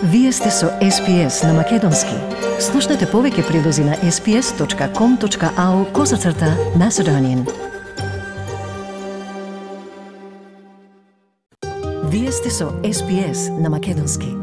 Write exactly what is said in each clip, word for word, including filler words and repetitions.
Вие сте со Ес Пи Ес на Македонски. Слушнете повеќе прилози на ес пи ес точка ком точка ау козацрта Macedonian. Вие сте со Ес Пи Ес на Македонски.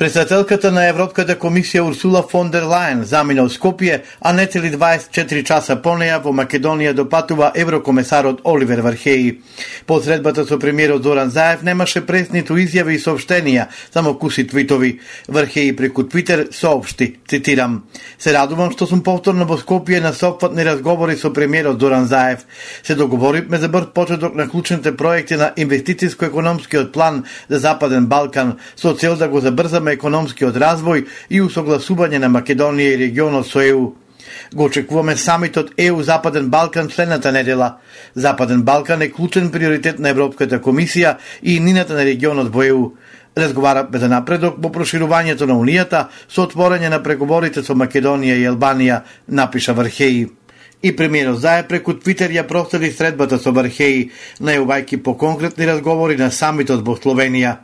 Председателката на Европската комисија Урсула фон дер Лајен замина од Скопје, а не цели дваесет и четири часа по неја во Македонија допатува еврокомесарот Оливер Вархеи. По средбата со премиерот Зоран Заев немаше прес ниту изјави и соопштенија, само куси твитови. Вархеи преку Твитер соопшти, цитирам: "Се радувам што сум повторно во Скопје на сопфатни разговори со премиерот Зоран Заев. Се договоривме за брз почеток на клучните проекти на инвестициско-економскиот план за Западен Балкан со цел да го забрзаме економскиот развој и усогласување на Македонија и регионот со Е У. Го очекуваме самитот Е У Западен Балкан следната недела. Западен Балкан е клучен приоритет на Европската комисија и нината на регионот во Е У. Разговараме за напредок во проширувањето на Унијата со отворање на преговорите со Македонија и Албанија, напиша Вархеи. И премиерот Заев преку Твитер ја проследи средбата со Вархеи, најувајќи по конкретни разговори на самитот во Словенија.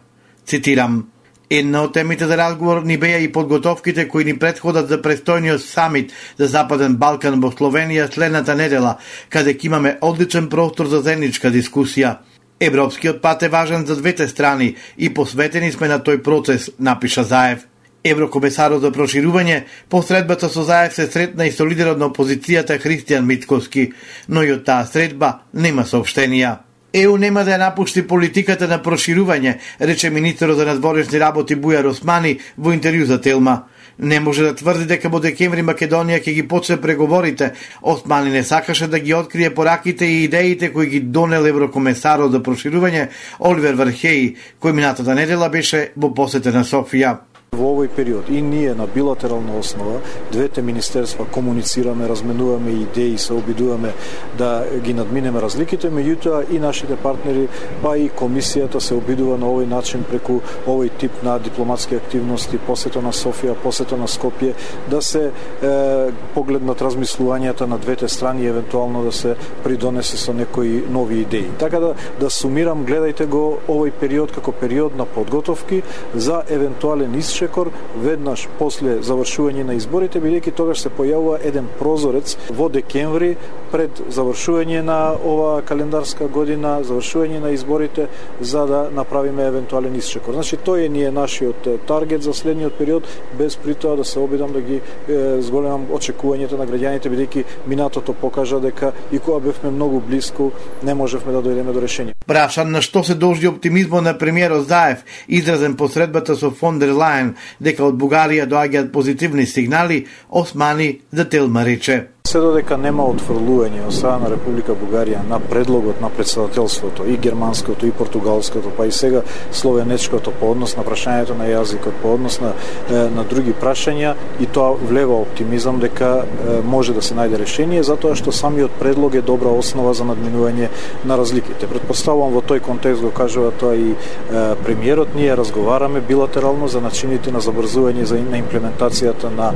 Цитирам: "Една од темите за разговор ни беа и подготовките кои ни претходат за престојниот самит за Западен Балкан во Словенија следната недела, каде ќе имаме одличен простор за заедничка дискусија. Европскиот пат е важен за двете страни и посветени сме на тој процес", напиша Заев. Еврокомесарот за проширување по средбата со Заев се сретна и со лидерот на опозицијата Христијан Мицкоски, но и од таа средба нема соопштенија. Е У нема да ја напушти политиката на проширување, рече министерот за надворешни работи Бујар Османи во интервју за Телма. Не може да тврди дека во декември Македонија ќе ги почне преговорите. Османи не сакаше да ги открие пораките и идеите кои ги донел еврокомесарот за проширување Оливер Вархеи, кој минатата недела беше во посета на Софија. Во овој период и ние на билатерална основа, двете министерства комуницираме, разменуваме идеи, се обидуваме да ги надминеме разликите, меѓутоа и нашите партнери, па и комисијата се обидува на овој начин преку овој тип на дипломатски активности, посета на Софија, посета на Скопје, да се е, погледнат размислувањата на двете страни и евентуално да се придонесе со некои нови идеи. Така да да сумирам, гледајте го овој период како период на подготовки за евентуален исчекор веднаш после завршување на изборите, бидејќи тогаш се појавува еден прозорец во декември пред завршување на ова календарска година, завршување на изборите, за да направиме евентуален исчекор. Значи, тој е ние нашиот таргет за следниот период, без при тоа да се обидам да ги е, зголемам очекувањето на граѓаните, бидејќи минатото покажа дека и кога бевме многу блиску, не можевме да дојдеме до решение. Прашан на што се должи оптимизмот на премиерот Заев, изразен по средбата со фон дер Лајен, дека од Бугарија доаѓаат позитивни сигнали, Османи за Телма рече: "Се додека нема отфрлување од страна на Република Бугарија на предлогот на претседателството, и германското, и португалското, па и сега словенечкото по однос на прашањето на јазикот, по однос на, на други прашања, и тоа влева оптимизам дека може да се најде решение, затоа што самиот предлог е добра основа за надминување на разликите. Предпоставувам во тој контекст го кажува тоа и премиерот, ние разговараме билатерално за начините на забрзување за на имплементацијата на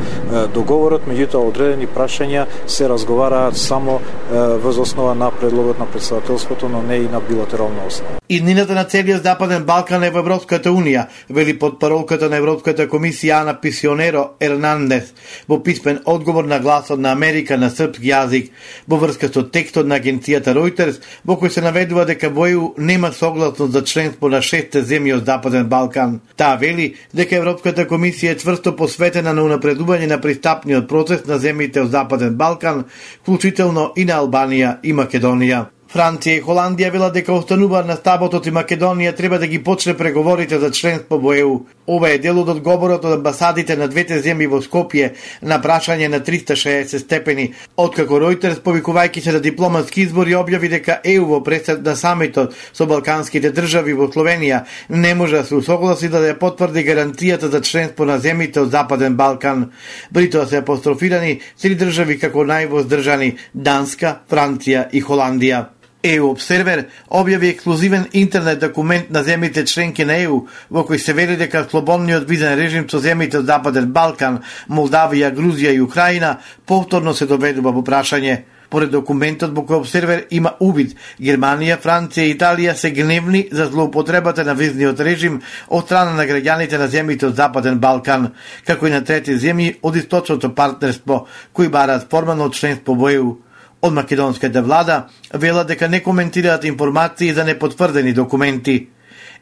договорот, меѓутоа одредени прашања се разговараат само е, воз основа на предлогот на претседателството, но не и на билатерална основа. Иднината на целиот Западен Балкан е во Европската Унија, вели потпаролката на Европската комисија Ана Писионеро Ернандес во писмен одговор на Гласот на Америка на српски јазик во врска со текстот на агенцијата Reuters, во кој се наведува дека во Е У нема согласност за членство на шесте земји од Западен Балкан. Таа вели дека Европската комисија е чврсто посветена на унапредување на пристапниот процес на земјите од Западен Балкан, вклучително и на Албанија и Македонија. Франција и Холандија велат дека остануваат на стаботот и Македонија треба да ги почне преговорите за членство во Е У. Ова е дел од одговорот од амбасадите на двете земји во Скопје на прашање на триста и шеесет степени, откако Reuters, повикувајќи се на дипломатски избори, објави дека Е У во пресед на самитот со балканските држави во Словенија не може да се усогласи да ја потврди гаранцијата за членство на земјите од Западен Балкан. При тоа се апострофирани три држави како највоздржани: Данска, Франција и Холандија. Е У Обсервер објави ексклузивен интернет документ на земјите членки на Е У, во кој се вели дека слободниот визен режим со земјите од Западен Балкан, Молдавија, Грузија и Украина повторно се доведува во прашање. Поред документот во кој обсервер има увид, Германија, Франција и Италија се гневни за злоупотребата на визниот режим од страна на граѓаните на земјите од Западен Балкан, како и на трети земји од источното партнерство, кои бараат формално членство во Е У. Од македонската влада велат дека не коментираат информации за непотврдени документи.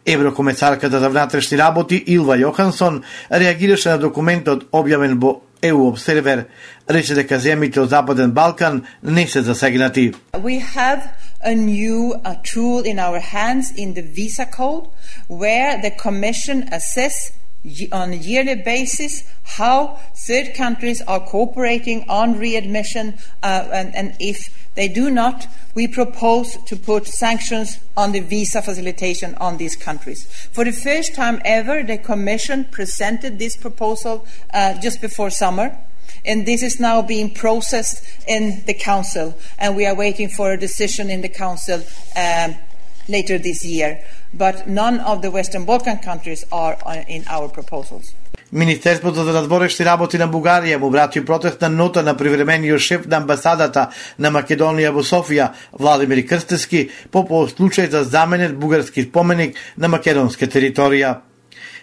Еврокомесарката за внатрешни работи Илва Јохансон реагираше на документот објавен во Е У Обсервер, рече дека земјите од Западен Балкан не се засегнати. We have a new a tool in our hands in the visa code where the commission assess on a yearly basis how third countries are cooperating on readmission uh, and, and if they do not, we propose to put sanctions on the visa facilitation on these countries. For the first time ever, the Commission presented this proposal uh, just before summer, and this is now being processed in the Council, and we are waiting for a decision in the Council um, later this year. But none of the Western Balkan countries are in our proposals. Министерството за надворешни работи на Бугарија му врати протестна нота на привремениот шеф на амбасадата на Македонија во Софија, Владимир Крстевски, по повод случај за заменет бугарски споменик на македонска територија.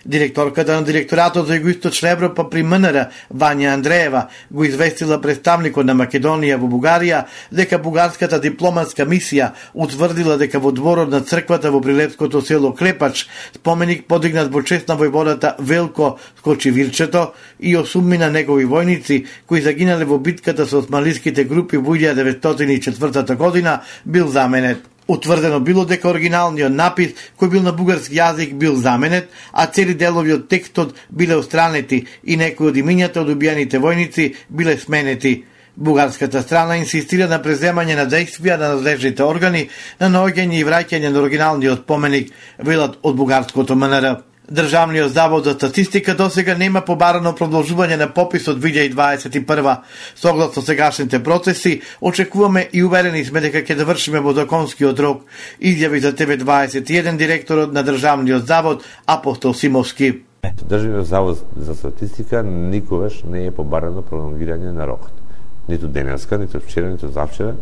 Директорката на директоратот за Југоисточна Европа при М Н Р, Вања Андреева, го известила представникот на Македонија во Бугарија дека бугарската дипломатска мисија утврдила дека во дворот на црквата во прилепското село Клепач споменик подигнат во чест на војводата Велко Скочивирчето и осумнина негови војници кои загинале во битката со османлиските групи во илјада деветстотини и четвртата година бил заменет. Утврдено било дека оригиналниот напис, кој бил на бугарски јазик, бил заменет, а цели делови од текстот биле отстранети и некои од имињата од убиените војници биле сменети. Бугарската страна инсистира на преземање на действија на надлежните органи на наоѓање и враќање на оригиналниот споменик, велат од бугарското М Н Р. Државниот завод за статистика досега нема побарано продолжување на пописот две илјади дваесет и прва. Согласно сегашните процеси, очекуваме и уверени сме дека ќе завршиме во законскиот рок, изјави за Т В дваесет и еден директорот на Државниот завод Апостол Симовски. Државниот завод за статистика никогаш не е побарано пролонгирање на рокот. Ниту денеска, ниту вчера, ниту завчера.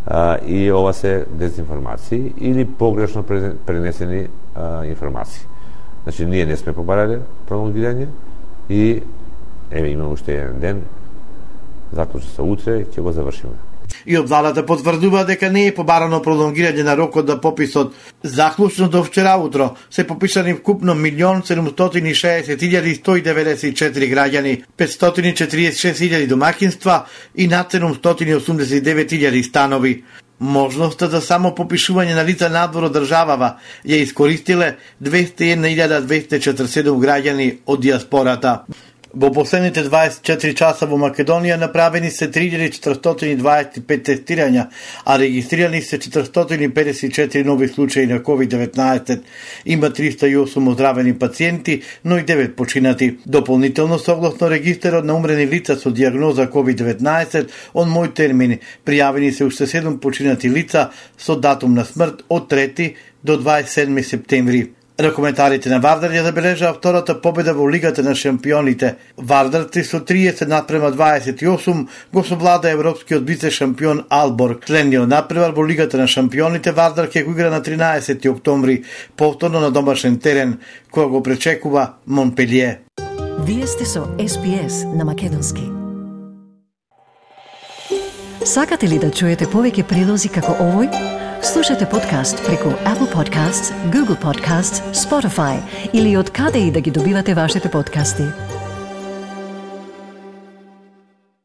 А, и ова се дезинформации или погрешно пренесени а, информации. Значи, ние не сме побарале пролонгирање и еве имаме уште еден ден, заклучи се утре, ќе го завршиме. И од владата потврдува дека не е побарано пролонгирање на рокот на пописот. Заклучно до вчера утро се попишани вкупно милион седумстотини и шеесет илјади сто и деветдесет и четири граѓани, петстотини и четиридесет и шест илјади домаќинства и над седумстотини и осумдесет и девет илјади станови. Можноста за само попишување на лица надвор од државава ја искористиле двеста и една илјада двеста и четиридесет и седум граѓани од диаспората. Во последните дваесет и четири часа во Македонија направени се три илјади четиристотини и дваесет и пет тестирања, а регистрирани се четиристотини и педесет и четири нови случаи на ковид деветнаесет. Има триста и осум оздравени пациенти, но и девет починати. Дополнително, согласно регистарот на умрени лица со диагноза ковид деветнаесет, он мој термин, пријавени се уште седум починати лица со датум на смрт од трети до дваесет и седми септември. Ракометарите на Вардар ја забележаа втората победа во Лигата на шампионите. Вардарци со триесет напрема дваесет и осум го совлада европскиот вице-шампион Алборг. Следниот надпревар во Лигата на шампионите Вардар ќе го игра на тринаесети октомври, повторно на домашен терен, која го пречекува Монпелие. Вие сте со С Б С на Македонски. Сакате ли да чуете повеќе прилози како овој? Слушате подкаст преку Apple Podcasts, Google Podcasts, Spotify или од каде и да ги добивате вашите подкасти.